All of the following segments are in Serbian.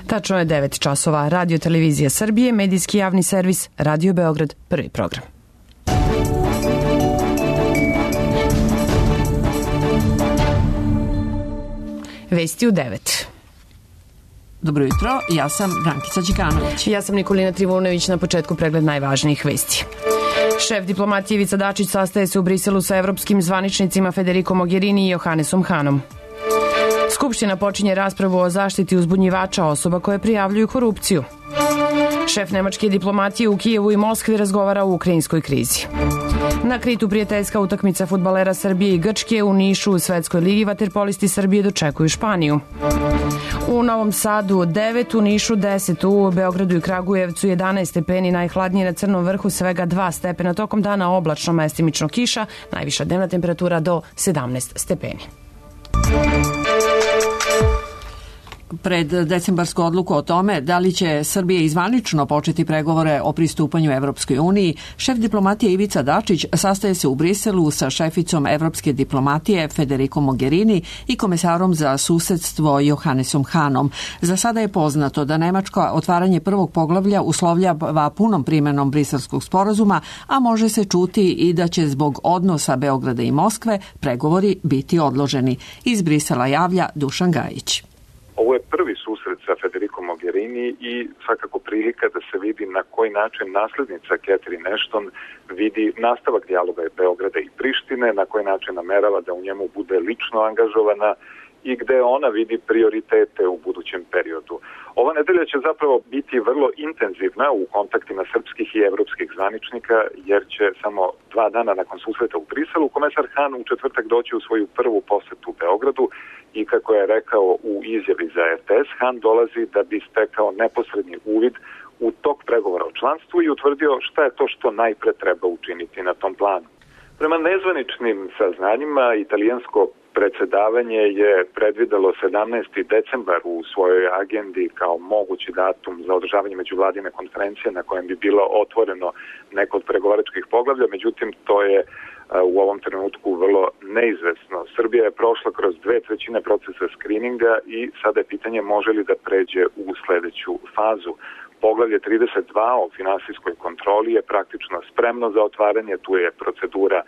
Tačno je 9 časova. Radio Televizija Srbije, medijski javni servis, Radio Beograd, prvi program. Vesti u 9. Dobro jutro, ja sam Brankica Đikanović. Ja sam Nikolina Trivunović, na početku pregled najvažnijih vesti. Šef diplomatije Ivica Dačić sastaje se u Briselu sa evropskim zvaničnicima Federico Mogherini i Johannesom Hanom. Skupština počinje raspravu o zaštiti uzbunjivača osoba koje prijavljuju korupciju. Šef nemačke diplomatije u Kijevu i Moskvi razgovara o ukrajinskoj krizi. Na Kritu prijateljska utakmica fudbalera Srbije i Grčke, u Nišu u Svetskoj ligi vaterpolisti Srbije dočekuju Španiju. U Novom Sadu 9, u Nišu 10, u Beogradu i Kragujevcu 11 stepeni, najhladnije na Crnom vrhu svega 2 stepena, tokom dana oblačno, mestimično kiša, najviša dnevna temperatura do 17 stepeni. Pred decembarsku odluku o tome da li će Srbija izvanično početi pregovore o pristupanju Evropskoj uniji, šef diplomatije Ivica Dačić sastaje se u Briselu sa šeficom evropske diplomatije Federico Mogherini i komesarom za susedstvo Johannesom Hanom. Za sada je poznato da Nemačka otvaranje prvog poglavlja uslovljava punom primenom briselskog sporazuma, a može se čuti i da će zbog odnosa Beograda i Moskve pregovori biti odloženi. Iz Brisela javlja Dušan Gajić. Ovo je prvi susret sa Federico Mogherini i svakako prilika da se vidi na koji način naslednica Catherine Ashton vidi nastavak dijaloga Beograda i Prištine, na koji način namerava da u njemu bude lično angažovana i gde ona vidi prioritete u budućem periodu. Ova nedelja će zapravo biti vrlo intenzivna u kontaktima srpskih i evropskih zvaničnika, jer će samo 2 dana nakon susreta u Briselu komesar Han u četvrtak doći u svoju prvu posetu Beogradu i, kako je rekao u izjavi za RTS, Han dolazi da bi stekao neposredni uvid u tok pregovora o članstvu i utvrdio šta je to što najpre treba učiniti na tom planu. Prema nezvaničnim saznanjima, italijansko predsedavanje je predvidelo 17. decembar u svojoj agendi kao mogući datum za održavanje međuvladine konferencije na kojem bi bilo otvoreno neko od pregovaračkih poglavlja, međutim to je u ovom trenutku vrlo neizvesno. Srbija je prošla kroz 2/3 procesa skrininga i sada je pitanje može li da pređe u sledeću fazu. Poglavlje 32 o finansijskoj kontroli je praktično spremno za otvaranje, tu je procedura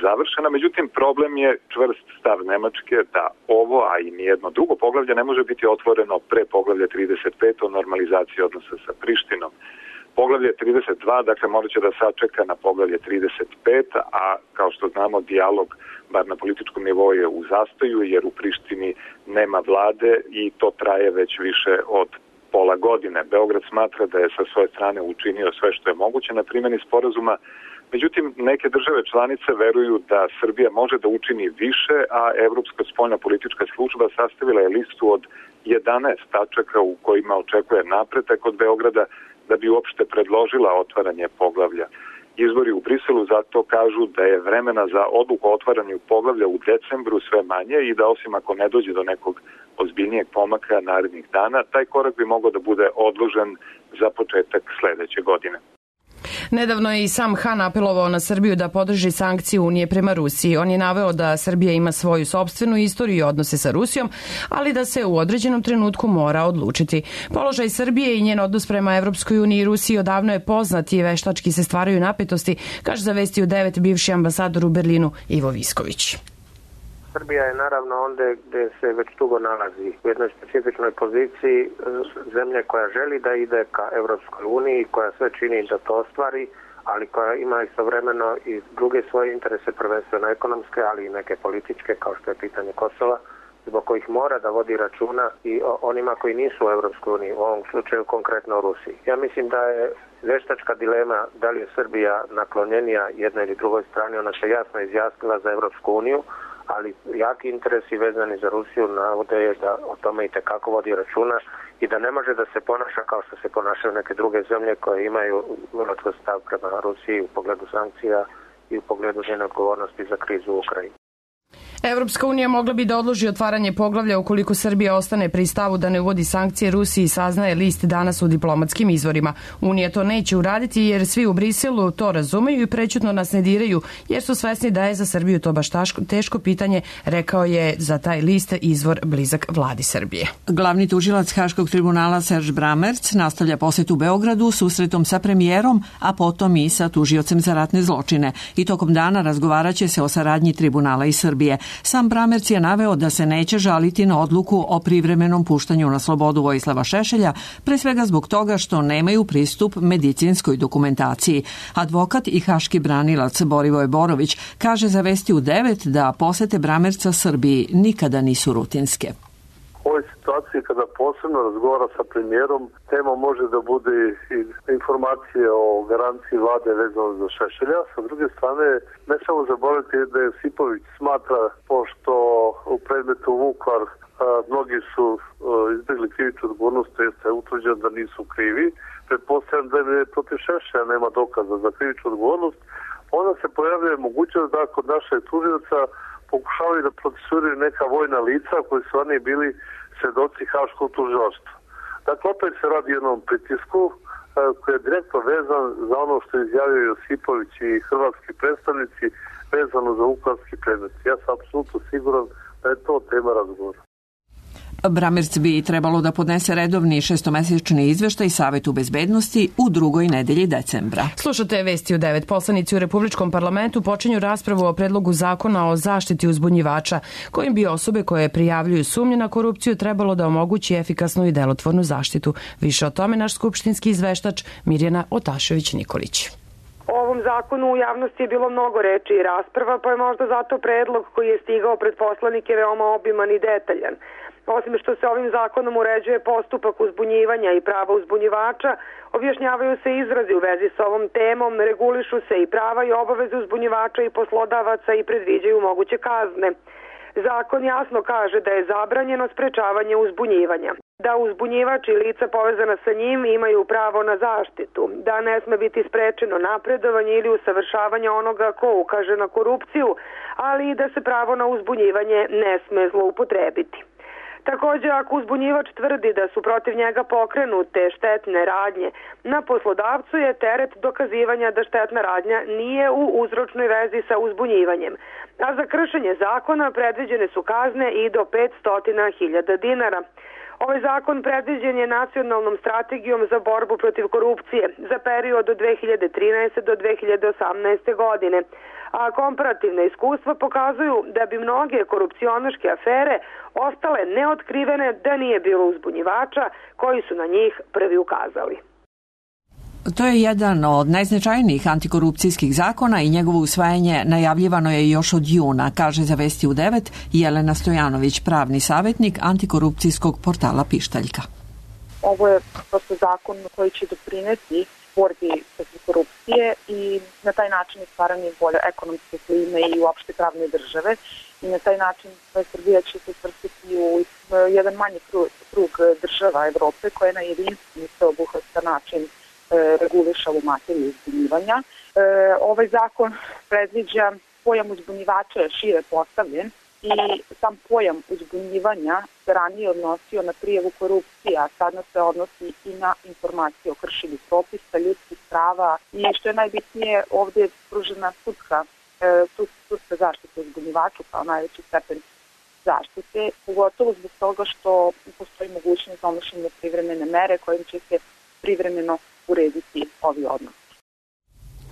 završena, međutim problem je čvrst stav Nemačke da ovo, a i nijedno drugo poglavlje ne može biti otvoreno pre poglavlja 35 o normalizaciji odnosa sa Prištinom. Poglavlje 32, dakle, morat će da sačeka na poglavlje 35, a kao što znamo, dijalog, bar na političkom nivou, je u zastoju, jer u Prištini nema vlade i to traje već više od pola godine. Beograd smatra da je sa svoje strane učinio sve što je moguće na primjeni sporazuma, međutim, neke države članice veruju da Srbija može da učini više, a Evropska spoljna politička služba sastavila je listu od 11 tačaka u kojima očekuje napredak od Beograda da bi uopšte predložila otvaranje poglavlja. Izbori u Briselu zato kažu da je vremena za odluku o otvaranju poglavlja u decembru sve manje i da osim ako ne dođe do nekog ozbiljnijeg pomaka narednih dana, taj korak bi mogao da bude odložen za početak sledeće godine. Nedavno je i sam Han apelovao na Srbiju da podrži sankcije Unije prema Rusiji. On je naveo da Srbija ima svoju sopstvenu istoriju i odnose sa Rusijom, ali da se u određenom trenutku mora odlučiti. Položaj Srbije i njen odnos prema Evropskoj uniji i Rusiji odavno je poznat i veštački se stvaraju napetosti, kaže za Vesti u 9 bivši ambasador u Berlinu Ivo Visković. Srbija je naravno onda gde se već dugo nalazi u jednoj specifičnoj poziciji zemlje koja želi da ide ka Evropskoj uniji, koja sve čini da to ostvari, ali koja ima istovremeno i druge svoje interese, prvenstveno ekonomske, ali i neke političke, kao što je pitanje Kosova, zbog kojih mora da vodi računa i o onima koji nisu u Evropskoj uniji, u ovom slučaju konkretno u Rusiji. Ja mislim da je veštačka dilema da li je Srbija naklonjenija jednoj ili drugoj strani, ona se jasno izjasnila za Evropsku uniju, ali jaki interesi vezani za Rusiju navode je da o tome i tekako vodi računa i da ne može da se ponaša kao što se ponašaju neke druge zemlje koje imaju vrlo čvrst stav prema Rusiji u pogledu sankcija i u pogledu njene odgovornosti za krizu u Ukrajini. Evropska unija mogla bi da odloži otvaranje poglavlja ukoliko Srbija ostane pri stavu da ne uvodi sankcije Rusiji, saznaje list danas u diplomatskim izvorima. Unija to neće uraditi jer svi u Briselu to razumeju i prećutno nas ne diraju jer su svesni da je za Srbiju to baš teško pitanje, rekao je za taj list izvor blizak vladi Srbije. Glavni tužilac Haškog tribunala Serge Bramerc nastavlja posetu Beogradu susretom sa premijerom, a potom i sa tužiocem za ratne zločine. I tokom dana razgovaraće se o saradnji tribunala i Srbije. Sam Bramerc je naveo da se neće žaliti na odluku o privremenom puštanju na slobodu Vojislava Šešelja, pre svega zbog toga što nemaju pristup medicinskoj dokumentaciji. Advokat i haški branilac Borivoje Borović kaže za Vesti u 9 da posete Bramerca Srbiji nikada nisu rutinske. U ovoj situaciji kada posebno razgovara sa premijerom, tema može da bude i informacije o garanciji vlade vezano za Šešelja. Sa druge strane, ne samo zaboraviti da je Josipović smatra, pošto u predmetu Vukovar mnogi su izbjegli krivičnu odgovornost, to jeste utvrđeno da nisu krivi. Pretpostavljam da je protiv Šešelja nema dokaza za krivičnu odgovornost. Onda se pojavljuje mogućnost da kod našeg tužioca pokušavaju da procesuiraju neka vojna lica koji su oni bili svedoci haškog tužilaštva. Dakle, opet se radi jednom pritisku koji je direktno vezan za ono što izjavio Josipović i hrvatski predstavnici vezano za vukovarski predmet. Ja sam apsolutno siguran da je to tema razgovora. Bramerc bi trebalo da podnese redovni šestomesečni izveštaj Savetu bezbednosti u drugoj nedelji decembra. Slušate Vesti u 9. Poslanici u Republičkom parlamentu počinju raspravu o predlogu zakona o zaštiti uzbunjivača, kojim bi osobe koje prijavljuju sumnje na korupciju trebalo da omogući efikasnu i delotvornu zaštitu. Više o tome naš skupštinski izveštač Mirjana Otašević-Nikolić. O ovom zakonu u javnosti je bilo mnogo reči i rasprava, pa je možda zato predlog koji je stigao pred poslanike veoma obiman i detaljan. Osim što se ovim zakonom uređuje postupak uzbunjivanja i prava uzbunjivača, objašnjavaju se izrazi u vezi sa ovom temom, regulišu se i prava i obaveze uzbunjivača i poslodavaca i predviđaju moguće kazne. Zakon jasno kaže da je zabranjeno sprečavanje uzbunjivanja, da uzbunjivač i lica povezana sa njim imaju pravo na zaštitu, da ne sme biti sprečeno napredovanje ili usavršavanje onoga ko ukaže na korupciju, ali i da se pravo na uzbunjivanje ne sme zloupotrebiti. Također, ako uzbunjivač tvrdi da su protiv njega pokrenute štetne radnje, na poslodavcu je teret dokazivanja da štetna radnja nije u uzročnoj vezi sa uzbunjivanjem, a za kršenje zakona predviđene su kazne i do 500.000 dinara. Ovaj zakon predviđen je nacionalnom strategijom za borbu protiv korupcije za period od 2013. do 2018. godine, a komparativna iskustva pokazuju da bi mnoge korupcionaške afere ostale neotkrivene da nije bilo uzbunjivača koji su na njih prvi ukazali. To je jedan od najznačajnijih antikorupcijskih zakona i njegovo usvajanje najavljivano je još od juna, kaže za Vesti u 9 Jelena Stojanović, pravni savjetnik antikorupcijskog portala Pištaljka. Ovo je prosto zakon koji će doprineti borbi protiv korupcije i na taj način stvaranje bolje ekonomske klime i uopšte pravne države i na taj način Srbija će se svrstati u jedan manji krug država Evrope koje na jedinstveni sveobuhvatan način reguliša u materiju uzbunjivanja. Ovaj zakon predviđa pojam uzbunjivača je šire postavljen i sam pojam uzbunjivanja se ranije odnosio na prijavu korupcije, a sada se odnosi i na informacije o kršenju propisa, ljudskih prava i što je najbitnije ovdje je pružena sudska zaštita uzbunjivaču kao najveći stepen zaštite, pogotovo zbog toga što postoji mogućnost donošenja privremene mere kojim će se privremeno urediti ovi odnosi.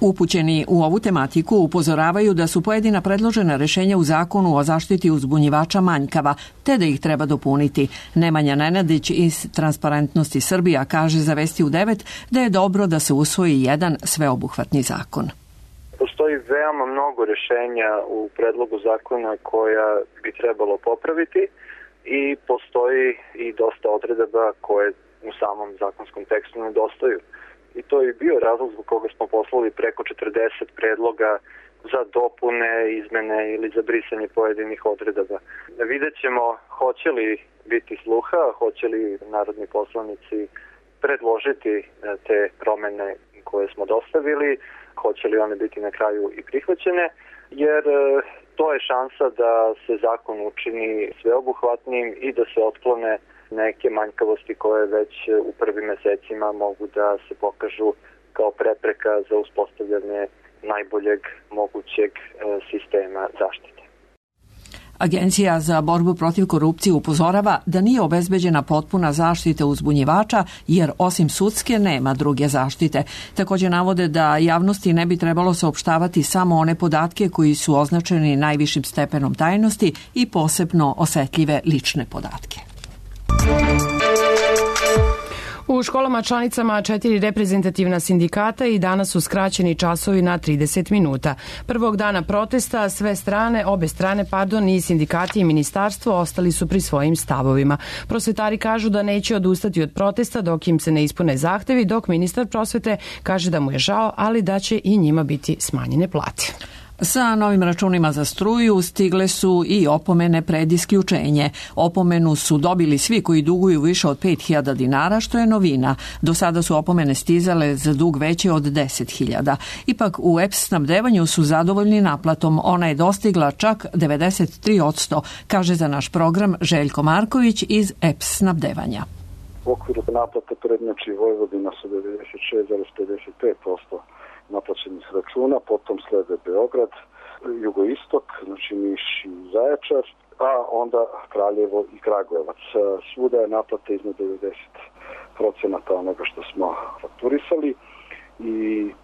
Upućeni u ovu tematiku upozoravaju da su pojedina predložena rešenja u zakonu o zaštiti uzbunjivača manjkava, te da ih treba dopuniti. Nemanja Nenadić iz Transparentnosti Srbija kaže za Vesti u 9 da je dobro da se usvoji jedan sveobuhvatni zakon. Postoji veoma mnogo rešenja u predlogu zakona koja bi trebalo popraviti i postoji i dosta odredaba koje u samom zakonskom tekstu nedostaju. I to je bio razlog zbog koga smo poslali preko 40 predloga za dopune, izmene ili za brisanje pojedinih odredaba. Vidjet ćemo hoće li biti sluha, hoće li narodni poslanici predložiti te promene koje smo dostavili, hoće li one biti na kraju i prihvaćene, jer To je šansa da se zakon učini sveobuhvatnim i da se otklone neke manjkavosti koje već u prvim mesecima mogu da se pokažu kao prepreka za uspostavljanje najboljeg mogućeg sistema zaštite. Agencija za borbu protiv korupcije upozorava da nije obezbeđena potpuna zaštita uzbunjivača jer osim sudske nema druge zaštite. Također navode da javnosti ne bi trebalo saopštavati samo one podatke koji su označeni najvišim stepenom tajnosti i posebno osetljive lične podatke. U školama članicama 4 reprezentativna sindikata i danas su skraćeni časovi na 30 minuta. Prvog dana protesta obe strane i sindikati i ministarstvo ostali su pri svojim stavovima. Prosvetari kažu da neće odustati od protesta dok im se ne ispune zahtevi, dok ministar prosvete kaže da mu je žao, ali da će i njima biti smanjene plate. Sa novim računima za struju stigle su i opomene pred isključenje. Opomenu su dobili svi koji duguju više od 5.000 dinara, što je novina. Do sada su opomene stizale za dug veći od 10.000. Ipak u EPS snabdevanju su zadovoljni naplatom. Ona je dostigla čak 93%, kaže za naš program Željko Marković iz EPS snabdevanja. U okviru naplate prednjači Vojvodina sa 96,55% naplaćenih računa, potom slede Beograd, jugoistok, znači Niš i Zaječar, a onda Kraljevo i Kragujevac. Svuda je naplata iznad 90% onoga što smo fakturisali i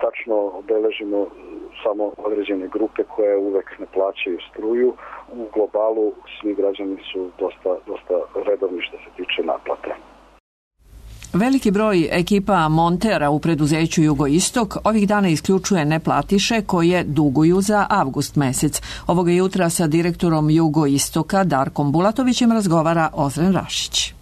tačno obeležimo samo određene grupe koje uvek ne plaćaju struju. U globalu svi građani su dosta redovni što se tiče naplate. Veliki broj ekipa montera u preduzeću Jugoistok ovih dana isključuje neplatiše koje duguju za avgust mesec. Ovoga jutra sa direktorom Jugoistoka Darkom Bulatovićem razgovara Ozren Rašić.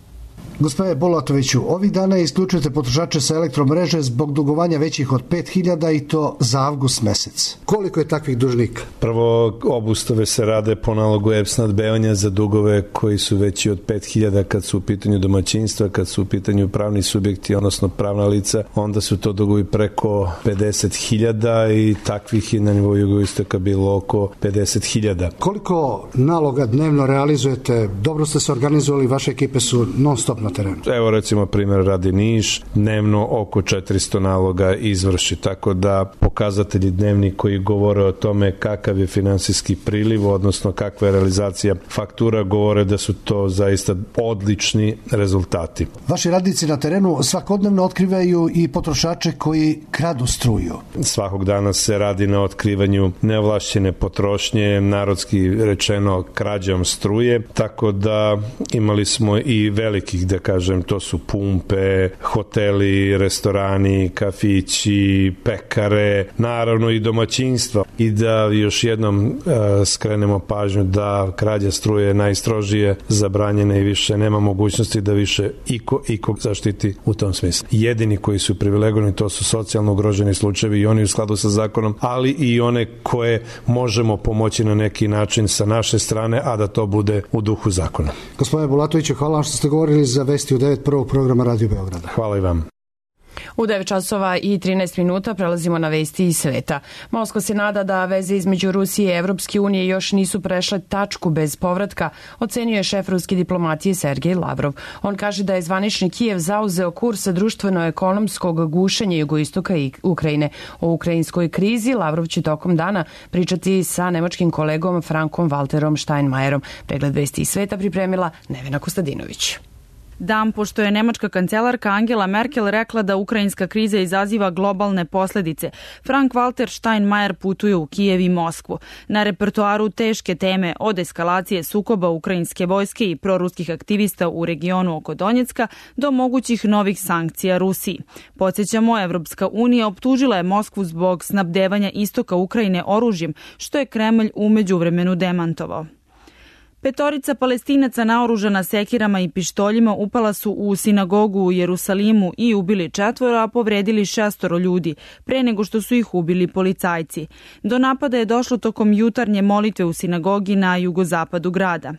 Gospodine Bulatoviću, ovih dana isključujete potrošače sa elektromreže zbog dugovanja većih od 5.000 i to za avgust mesec. Koliko je takvih dužnika? Prvo, obustave se rade po nalogu EPS snabdevanja za dugove koji su veći od 5.000 kad su u pitanju domaćinstva, kad su u pitanju pravni subjekti, odnosno pravna lica, onda su to dugovi preko 50.000 i takvih je na nivou Jugoistoka bilo oko 50.000. Koliko naloga dnevno realizujete? Dobro ste se organizovali, vaše ekipe su non stop na terenu. Evo recimo primjer radi Niš, dnevno oko 400 naloga izvrši, tako da pokazatelji dnevni koji govore o tome kakav je finansijski priliv, odnosno kakva je realizacija faktura, govore da su to zaista odlični rezultati. Vaši radnici na terenu svakodnevno otkrivaju i potrošače koji kradu struju. Svakog dana se radi na otkrivanju neovlašćene potrošnje, narodski rečeno krađom struje, tako da imali smo i velikih, da kažem, to su pumpe, hoteli, restorani, kafići, pekare, naravno i domaćinstva. I da još jednom skrenemo pažnju da krađa struje je najstrožije zabranjena i više nema mogućnosti da više iko zaštiti u tom smislu. Jedini koji su privilegovani to su socijalno ugroženi slučajevi i oni u skladu sa zakonom, ali i one koje možemo pomoći na neki način sa naše strane, a da to bude u duhu zakona. Gospodine Bulatoviću, hvala vam što ste govorili za Vesti u 9 prvog programa Radio Beograda. Hvala i vam. U 9 časova i 13 minuta prelazimo na vesti iz sveta. Moskva se nada da veze između Rusije i Evropske unije još nisu prešle tačku bez povratka, ocenio je šef ruske diplomatije Sergej Lavrov. On kaže da je zvanični Kijev zauzeo kurs društveno-ekonomskog gušenja jugoistoka i Ukrajine. O ukrajinskoj krizi Lavrov će tokom dana pričati sa nemačkim kolegom Frankom Walterom Steinmeierom. Pregled vesti iz sveta pripremila Nevena Kostadinović. Dan pošto je nemačka kancelarka Angela Merkel rekla da ukrajinska kriza izaziva globalne posljedice, Frank Walter Steinmeier putuje u Kijev i Moskvu. Na repertoaru teške teme od eskalacije sukoba ukrajinske vojske i proruskih aktivista u regionu oko Donjecka do mogućih novih sankcija Rusiji. Podsjećamo, Evropska unija optužila je Moskvu zbog snabdevanja istoka Ukrajine oružjem, što je Kremlj u međuvremenu demantovao. 5 Palestinaca naoružana sekirama i pištoljima upala su u sinagogu u Jerusalimu i ubili 4, a povredili 6 ljudi, pre nego što su ih ubili policajci. Do napada je došlo tokom jutarnje molitve u sinagogi na jugozapadu grada.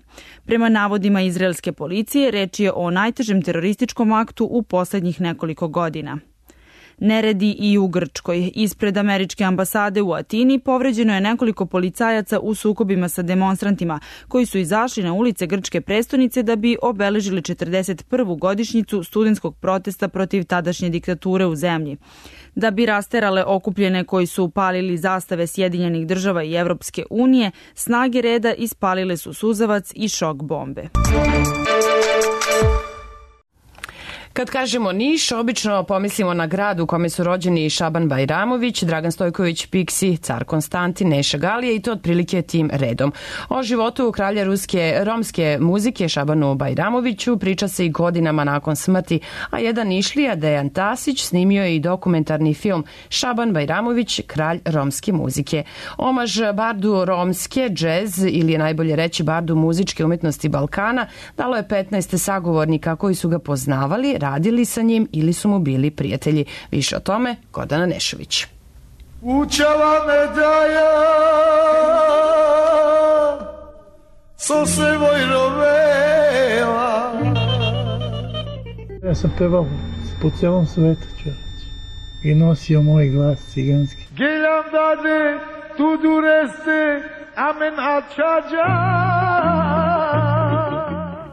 Prema navodima izraelske policije, reč je o najtežem terorističkom aktu u poslednjih nekoliko godina. Neredi i u Grčkoj. Ispred američke ambasade u Atini povređeno je nekoliko policajaca u sukobima sa demonstrantima koji su izašli na ulice grčke prestonice da bi obeležili 41. godišnjicu studentskog protesta protiv tadašnje diktature u zemlji. Da bi rasterale okupljene koji su palili zastave Sjedinjenih država i Evropske unije, snage reda ispalile su suzavac i šok bombe. Kad kažemo Niš, obično pomislimo na grad u kome su rođeni Šaban Bajramović, Dragan Stojković, Piksi, Car Konstantin, Neša Galija i to otprilike tim redom. O životu kralja romske muzike Šabanu Bajramoviću priča se i godinama nakon smrti, a jedan Nišlija, Dejan Tasić, snimio je i dokumentarni film Šaban Bajramović, kralj romske muzike. Omaž bardu romske, džez ili je najbolje reći bardu muzičke umetnosti Balkana, dalo je 15 sagovornika koji su ga poznavali, radili sa njim ili su mu bili prijatelji. Više o tome Gordana Nešović. Učala me daja so se vojrovela. Ja sam pevao po celom svetu, čovječ, i nosio moj glas ciganski. Geljam dade tu dureste amen ačađa.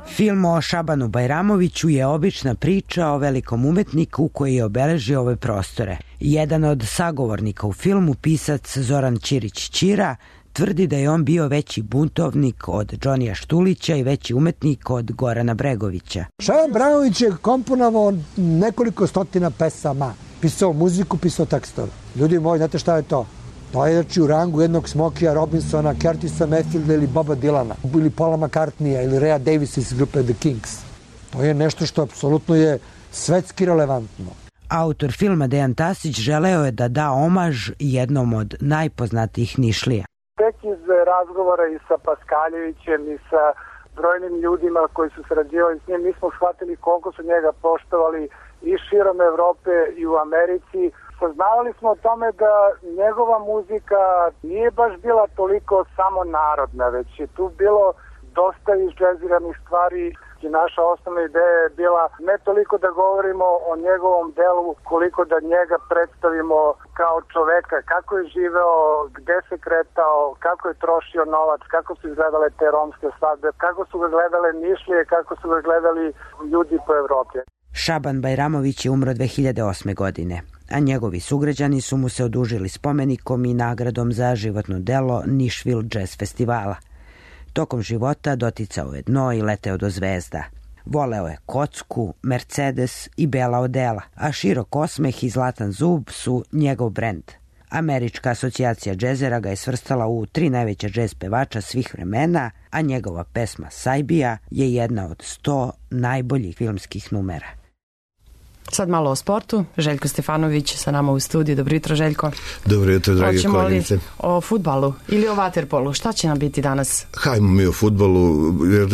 Film o Šabanu Bajramoviću je obična priča o velikom umetniku koji je obeležio ove prostore. Jedan od sagovornika u filmu, pisac Zoran Ćirić-Ćira, tvrdi da je on bio veći buntovnik od Džonija Štulića i veći umetnik od Gorana Bregovića. Šaban Bajramović je komponovao nekoliko stotina pesama, pisao muziku, pisao tekstove. Ljudi moji, znate šta je to? To je u rangu jednog Smokija Robinsona, Curtisa Mayfielda ili Boba Dylana, ili Paula McCartneya ili Rhea Davisa iz grupe The Kings. To je nešto što apsolutno je svetski relevantno. Autor filma Dejan Tasić želeo je da da omaž jednom od najpoznatijih Nišlija. Tek iz razgovora i sa Paskaljevićem i sa brojnim ljudima koji su sarađivali s njim, mi smo shvatili koliko su njega poštovali i širom Evrope i u Americi. Saznavali smo o tome da njegova muzika nije baš bila toliko samo narodna, već je tu bilo dosta izđeziranih stvari i naša osnovna ideja je bila ne toliko da govorimo o njegovom delu, koliko da njega predstavimo kao čoveka, kako je živeo, gde se kretao, kako je trošio novac, kako su izgledale te romske svadbe, kako su ga gledale Nišlije, kako su ga gledali ljudi po Evropi. Šaban Bajramović je umro 2008. godine, a njegovi sugrađani su mu se odužili spomenikom i nagradom za životno delo Nišvil Jazz Festivala. Tokom života doticao je dno i leteo do zvezda. Voleo je kocku, Mercedes i bela odela, a širok osmeh i zlatan zub su njegov brend. Američka asocijacija džezera ga je svrstala u 3 najveća džez pevača svih vremena, a njegova pesma Sajbija je jedna od 100 najboljih filmskih numera. Sad malo o sportu. Željko Stefanović sa nama u studiju. Dobro jutro, Željko. Dobro jutro, dragi koleginice. O fudbalu ili o vaterpolu? Šta će nam biti danas? Hajmo mi o fudbalu, jer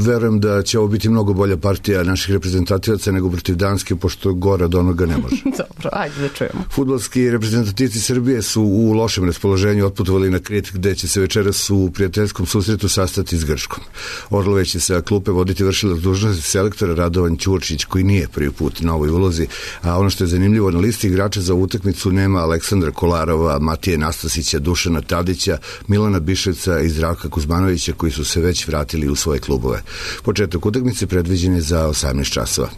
verujem da će ovo biti mnogo bolja partija naših reprezentativaca nego protiv Danske, pošto gore od onoga ne može. Dobro, ajde da čujemo. Fudbalski reprezentativci Srbije su u lošem raspoloženju otputovali na Krit, gde će se večeras u prijateljskom susretu sastati s Grčkom. Orlove će sa klupe voditi vršilac dužnosti selektora Radovan Ćurčić, koji nije prvi put na ovoj ulozi, a ono što je zanimljivo, na listi igrača za utakmicu nema Aleksandra Kolarova, Matije Nastasića, Dušana Tadića, Milana Biševca i Zdravka Kuzmanovića, koji su se već vratili u svoje klubove. Početak utakmice predviđen je za 18 časova.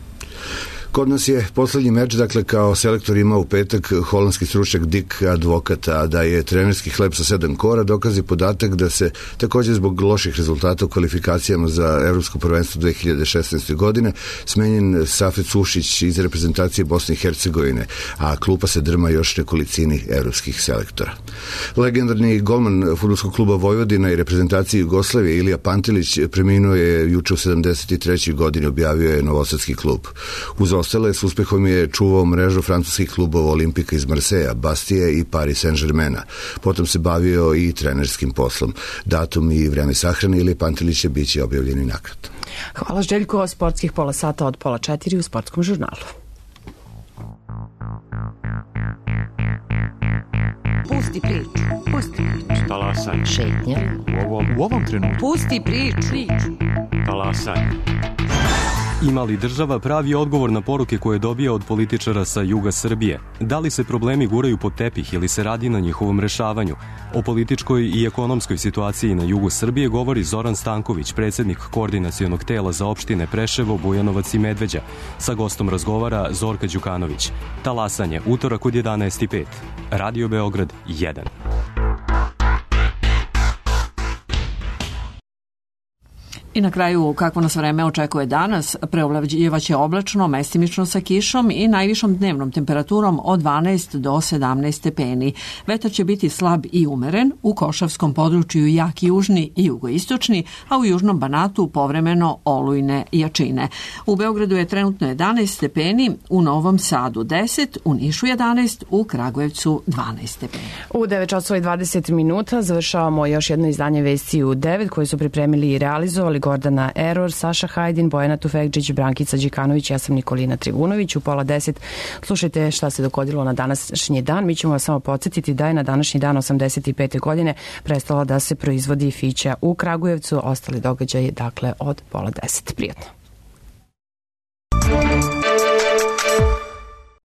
Kod nas je poslednji meč, dakle, kao selektor ima u petak holandski stručnjak Dick Advokat, a da je trenerski hleb sa 7 kora dokazi podatak da se također zbog loših rezultata u kvalifikacijama za Evropsko prvenstvo 2016. godine smenjen Safet Sušić iz reprezentacije Bosne i Hercegovine, a klupa se drma još nekolicini evropskih selektora. Legendarni golman fudbalskog kluba Vojvodina i reprezentacije Jugoslavije Ilija Pantelić preminuo je juče u 73. godini, objavio je Novosadski klub. Uz ostale s uspehom je čuvao mrežu francuskih klubova Olimpika iz Marseja, Bastije i Paris Saint-Germaina. Potom se bavio i trenerskim poslom. Datum i vreme sahrane Ilije Pantelića biće objavljeni nakratko. Hvala, Željko. Sportskih pola sata od 3:30 u Sportskom žurnalu. Pusti priču. Pusti priču. Talasaj. Šetnja. U ovom trenutku. Pusti priču. Talasaj. Ima li država pravi odgovor na poruke koje dobija od političara sa juga Srbije? Da li se problemi guraju pod tepih ili se radi na njihovom rešavanju? O političkoj i ekonomskoj situaciji na jugu Srbije govori Zoran Stanković, predsjednik Koordinacionog tela za opštine Preševo, Bujanovac i Medveđa. Sa gostom razgovara Zorka Đukanović. Talasanje, utorak od 11:05. Radio Beograd 1. I na kraju, kakvo nas vreme očekuje danas, preovlađivaće oblačno, mestimično sa kišom i najvišom dnevnom temperaturom od 12 do 17 stepeni. Vetar će biti slab i umeren, u Košavskom području jak južni i jugoistočni, a u južnom Banatu povremeno olujne jačine. U Beogradu je trenutno 11 stepeni, u Novom Sadu 10, u Nišu 11, u Kragujevcu 12 stepeni. U 9:20 završavamo još jedno izdanje Vesti u 9 koje su pripremili i realizovali Gordana Eror, Saša Hajdin, Bojana Tufekđić, Brankica Đikanović, ja sam Nikolina Trivunović. U 9:30 slušajte šta se dogodilo na današnji dan. Mi ćemo vas samo podsjetiti da je na današnji dan 85. godine prestala da se proizvodi fića u Kragujevcu. Ostali događaji, dakle, od 9:30. Prijatno.